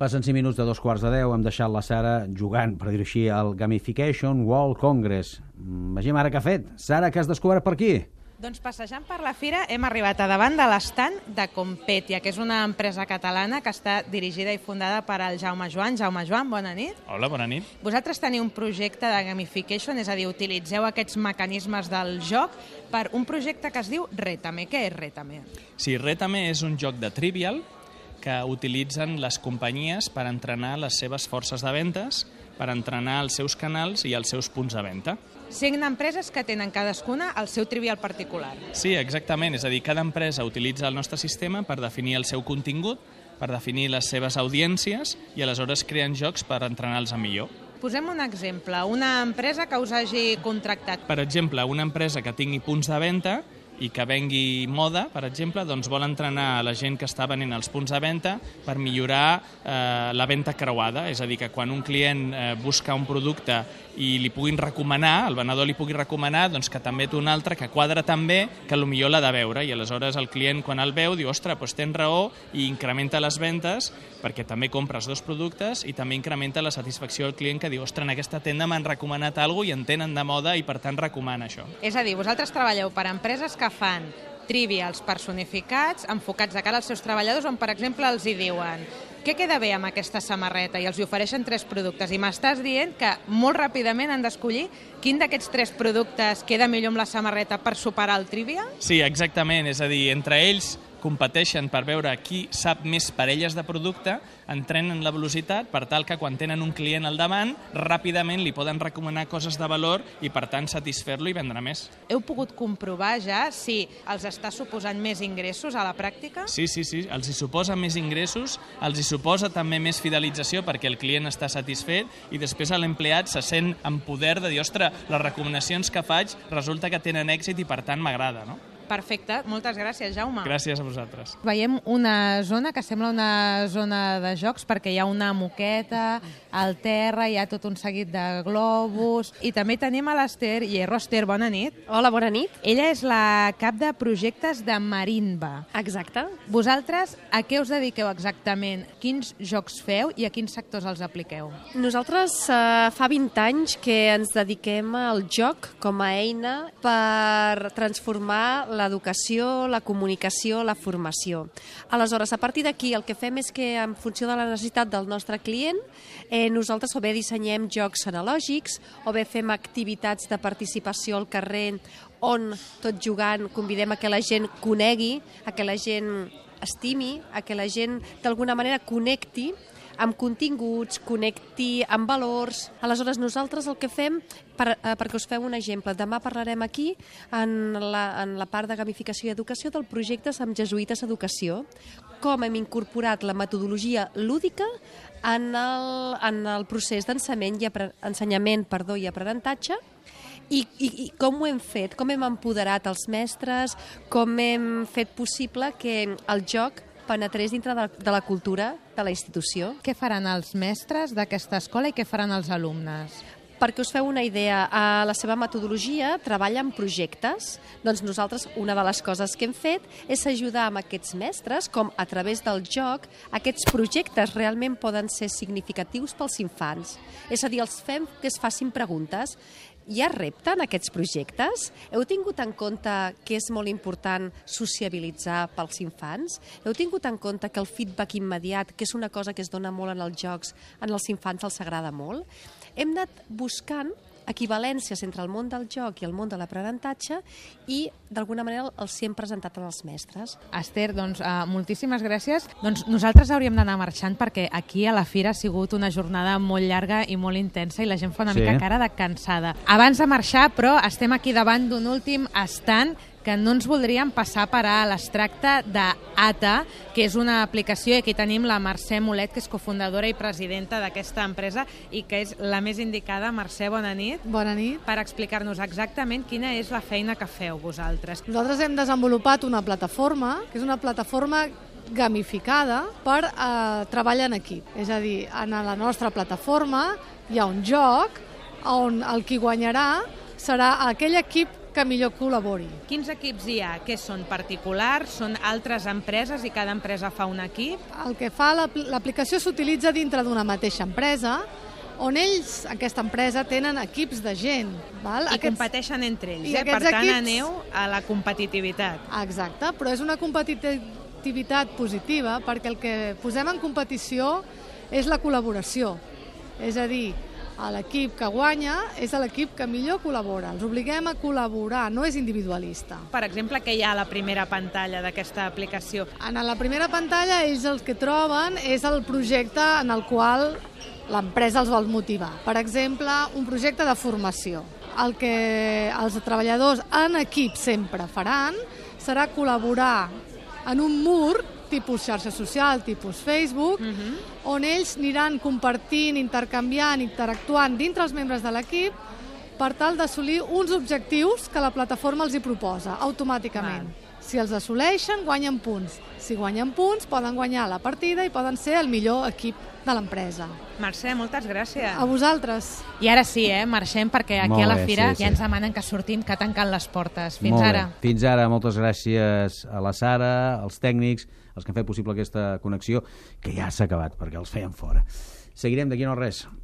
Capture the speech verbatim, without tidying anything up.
Passen cinc minuts de dos quarts de deu, hem deixat la Sara jugant, per dir-ho així, al Gamification World Congress. Vegem ara què ha fet. Sara, què has descobert per aquí? Doncs passejant per la fira hem arribat a davant de l'estand de Competia, que és una empresa catalana que està dirigida i fundada per el Jaume Joan. Jaume Joan, bona nit. Hola, bona nit. Vosaltres teniu un projecte de gamification, és a dir, utilitzeu aquests mecanismes del joc per un projecte que es diu Rétame. Què és Rétame? Sí, Rétame és un joc de Trivial que utilitzen les companyies per entrenar les seves forces de ventes, per entrenar els seus canals i els seus punts de venda. Cinc empreses que tenen cadascuna el seu trivial particular. Sí, exactament. És a dir, cada empresa utilitza el nostre sistema per definir el seu contingut, per definir les seves audiències i aleshores creen jocs per entrenar-los a millor. Posem un exemple. Una empresa que us hagi contractat. Per exemple, una empresa que tingui punts de venda i que vengui moda, per exemple, doncs vol entrenar a la gent que està venent els punts de venda per millorar eh, la venda creuada. És a dir, que quan un client eh, busca un producte i li puguin recomanar, el venedor li pugui recomanar, doncs que també té un altre que quadra també, que potser l'ha de veure. I aleshores el client, quan el veu, diu, ostres, doncs tens raó, i incrementa les ventes perquè també compres dos productes i també incrementa la satisfacció del client que diu, ostres, en aquesta tenda m'han recomanat alguna cosa i en tenen de moda i per tant recomana això. És a dir, vosaltres treballeu per empreses que fan trivials personificats, enfocats de cara als seus treballadors, on, per exemple, els hi diuen què queda bé amb aquesta samarreta i els hi ofereixen tres productes. I m'estàs dient que molt ràpidament han d'escollir quin d'aquests tres productes queda millor amb la samarreta per superar el trivial? Sí, exactament. És a dir, entre ells competeixen per veure qui sap més parelles de producte, entrenen la velocitat per tal que quan tenen un client al davant, ràpidament li poden recomanar coses de valor i per tant satisfer-lo i vendre més. Heu pogut comprovar ja si els està suposant més ingressos a la pràctica? Sí, sí, sí, els hi suposa més ingressos, els hi suposa també més fidelització perquè el client està satisfet i després l'empleat se sent en poder de dir, ostres, les recomanacions que faig resulta que tenen èxit i per tant m'agrada, no? Perfecte, moltes gràcies, Jaume. Gràcies a vosaltres. Veiem una zona que sembla una zona de jocs perquè hi ha una moqueta al terra, hi ha tot un seguit de globus i també tenim a l'Ester Hierro. Ester, bona nit. Hola, bona nit. Ella és la cap de projectes de Marinva. Exacte. Vosaltres a què us dediqueu exactament? Quins jocs feu i a quins sectors els apliqueu? Nosaltres eh, fa vint anys que ens dediquem al joc com a eina per transformar l'educació, la comunicació, la formació. Aleshores, a partir d'aquí, el que fem és que, en funció de la necessitat del nostre client, eh, nosaltres o bé dissenyem jocs analògics, o bé fem activitats de participació al carrer on, tot jugant, convidem a que la gent conegui, a que la gent estimi, a que la gent, d'alguna manera, connecti amb continguts, connecti amb valors. Aleshores, nosaltres el que fem, per, eh, perquè us feu un exemple, demà parlarem aquí, en la, en la part de gamificació i educació, del projecte amb Jesuïtes Educació, com hem incorporat la metodologia lúdica en el, en el procés d'ensenyament i, apre, ensenyament, perdó, i aprenentatge, I, i, i com ho hem fet, com hem empoderat els mestres, com hem fet possible que el joc penetrés dintre de, de la cultura de la institució. Què faran els mestres d'aquesta escola i què faran els alumnes? Perquè us feu una idea, a la seva metodologia treballa en projectes. Doncs nosaltres una de les coses que hem fet és ajudar amb aquests mestres, com a través del joc, aquests projectes realment poden ser significatius pels infants. És a dir, els fem que es facin preguntes. Hi ha repte en aquests projectes? Heu tingut en compte que és molt important sociabilitzar pels infants? Heu tingut en compte que el feedback immediat, que és una cosa que es dona molt en els jocs, en els infants els agrada molt? Hem anat buscant equivalències entre el món del joc i el món de l'aprenentatge i, d'alguna manera, els hem presentat als mestres. Ester, doncs, uh, moltíssimes gràcies. Doncs nosaltres hauríem d'anar marxant perquè aquí a la fira ha sigut una jornada molt llarga i molt intensa i la gent fa una sí. mica cara de cansada. Abans de marxar, però, estem aquí davant d'un últim estand que no ens voldríem passar per alt. Es tracta d'Ata, que és una aplicació, i aquí tenim la Mercè Molet, que és cofundadora i presidenta d'aquesta empresa i que és la més indicada. Mercè, bona nit. Bona nit. Per explicar-nos exactament quina és la feina que feu vosaltres. Nosaltres hem desenvolupat una plataforma, que és una plataforma gamificada per eh, treballar en equip. És a dir, en la nostra plataforma hi ha un joc on el qui guanyarà serà aquell equip que millor col·labori. Quins equips hi ha? Què són particulars? Són altres empreses i cada empresa fa un equip? El que fa l'aplicació s'utilitza dintre d'una mateixa empresa, on ells, aquesta empresa, tenen equips de gent. Val? I aquests... competeixen entre ells, I eh? Per aquests tant, equips... aneu a la competitivitat. Exacte, però és una competitivitat positiva perquè el que posem en competició és la col·laboració. És a dir, l'equip que guanya és l'equip que millor col·labora. Els obliguem a col·laborar, no és individualista. Per exemple, què hi ha a la primera pantalla d'aquesta aplicació? En la primera pantalla ells el que troben és el projecte en el qual l'empresa els vol motivar. Per exemple, un projecte de formació. El que els treballadors en equip sempre faran serà col·laborar en un mur tipus xarxa social, tipus Facebook, uh-huh. on ells aniran compartint, intercanviant, interactuant dintre els membres de l'equip per tal d'assolir uns objectius que la plataforma els hi proposa automàticament. Val. Si els assoleixen, guanyen punts. Si guanyen punts, poden guanyar la partida i poden ser el millor equip de l'empresa. Mercè, moltes gràcies. A vosaltres. I ara sí, eh? Marxem perquè aquí Molt a la bé, fira sí, sí. ja ens demanen que sortim, que tanquen les portes. Fins Molt ara. Bé. Fins ara, moltes gràcies a la Sara, als tècnics, els que han fet possible aquesta connexió, que ja s'ha acabat, perquè els feien fora. Seguirem d'aquí no res.